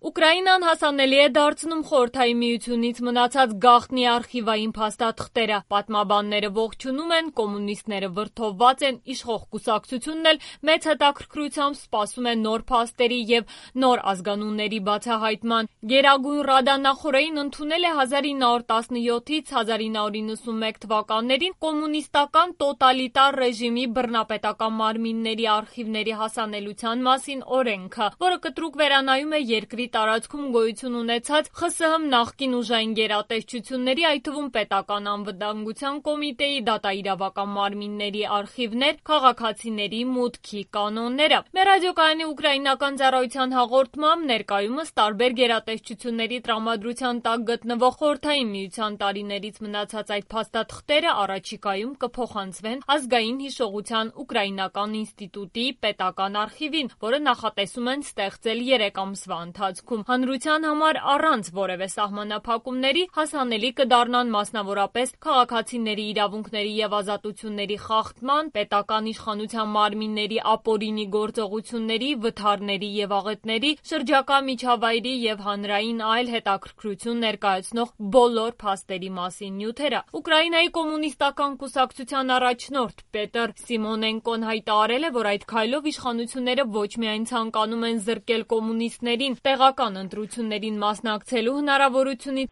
Ուկրաինան հասանելի է դարձնում Խորհրդային Միությունից մնացած գաղտնի արխիվային փաստաթղթերը։ Պատմաբանները ողջունում են, կոմունիստները վրդովված են, իշխող կուսակցությունն էլ մեծ հետաքրքրությամբ սպասում է նոր փաստերի եւ նոր ազգանունների բացահայտման։ Գերագույն Ռադա նախօրեին ընդունել է 1917-ից 1991 թվականներին կոմունիստական տոտալիտար ռեժիմի բռնապետական մարմինների արխիվների հասանելիության մասին օրենքը, որը կտրուկ վերանայում է երկրի տարածքում գոյություն ունեցած ԽՍՀՄ նախկին ուժային գերատեսչությունների, այդ թվում պետական անվտանգության կոմիտեի դատաիրավական մարմինների արխիվներ, քաղաքացիների մուտքի կանոնները։ Մեր ռադիոկայանի ուկրաինական ծառայության հաղորդմամբ ներկայումս տարբեր գերատեսչությունների տրամադրության տակ գտնվող Խորհրդային Միության տարիներից մնացած այդ փաստաթղթերը առաջիկայում կփոխանցվեն Ազգային հիշողության ուկրաինական ինստիտուտի պետական արխիվին, որը նախատեսում են ստեղծել 3 ամսվա ընթացքում։ Հանրության համար առանց որևէ սահմանափակումների հասանելի կդառնան մասնավորապես քաղաքացիների իրավունքների եւ ազատությունների խախտման, պետական իշխանության մարմինների ապօրինի գործողությունների, վթարների եւ աղետների, շրջակա միջավայրի եւ հանրային այլ հետաքրքրություն ներկայացնող բոլոր փաստերի մասին նյութերը։ Ուկրաինայի կոմունիստական կուսակցության առաջնորդ Պետր Սիմոնենկոն հայտարարել է, որ այդ քայլով իշխանությունները ոչ միայն ցանկանում են զրկել կոմունիստներին տեղական ընտրություններին մասնակցելու հնարավորությունից,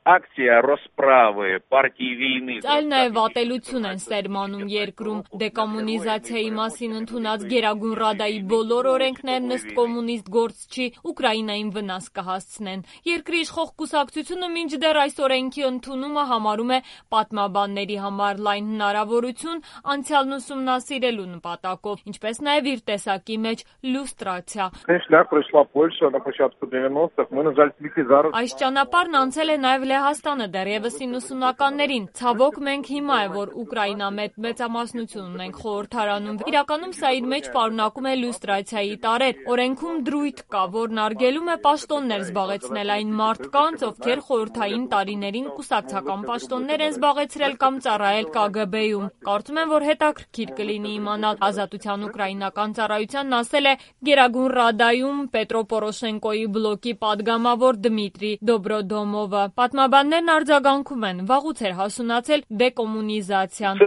Акция расправы партии війни. Այլ նաև ատելություն են սերմանում երկրում։ Դեկոմունիզացիայի մասին ընդունած Գերագույն Ռադայի բոլոր օրենքներն ըստ կոմունիստ գործչի Ուկրաինային վնաս կհասցնեն։ Երկրի իշխող կուսակցությունը մինչդեռ այս օրենքի ընդունումը համարում է պատմաբանների համար լայն հնարավորություն անցյալն ուսումնասիրելու նպատակով, ինչպես նաև իր տեսակի մեջ լյուստրացիա։ Այս ճանապարհն անցել է նաև Լեհաստանը դեռևս 90-ականներին։ Ցավոք մենք հիմա է, որ Ուկրաինա մեծամասնություն ունենք խորհրդարանում։ Իրականում սա իր մեջ պարունակում է լյուստրացիայի տարեր։ Օրենքում դրույթ կա, որն արգելում է պաշտոններ զբաղեցնել այն մարդկանց, ովքեր խորհրդային տարիներին կուսակցական պաշտոններ են զբաղեցրել կամ ծառայել ԿԳԲ-ում։ Կարծում եմ, որ հետաքրքիր կլինի իմանալ։ Ազատության ուկրաինական ծառայությանն ասել է Գերագույն Ռադայում Պետրո Պորոշենկոյի բլոկի падգամավոր Դմիտրի Դոբրոդոմովը։ Պատմաբաններն արձագանքում են, վաղուց էր հասունացել դեկոմունիզացիան։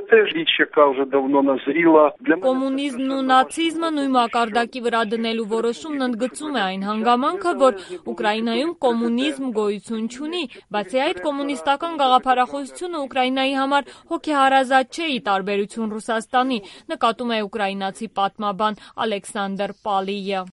Կոմունիզմն ու նացիզմը նույն մակարդակի վրա դնելու որոշումն ընդգծում է այն հանգամանքը, որ Ուկրաինայում կոմունիզմ գոյություն չունի, բացի այդ կոմունիստական գաղափարախոսությունը Ուկրաինայի համար հոգեհարազատ չէ, ի տարբերություն Ռուսաստանի, նկատում է ուկրաինացի պատմաբան Ալեքսանդր Պալիյը։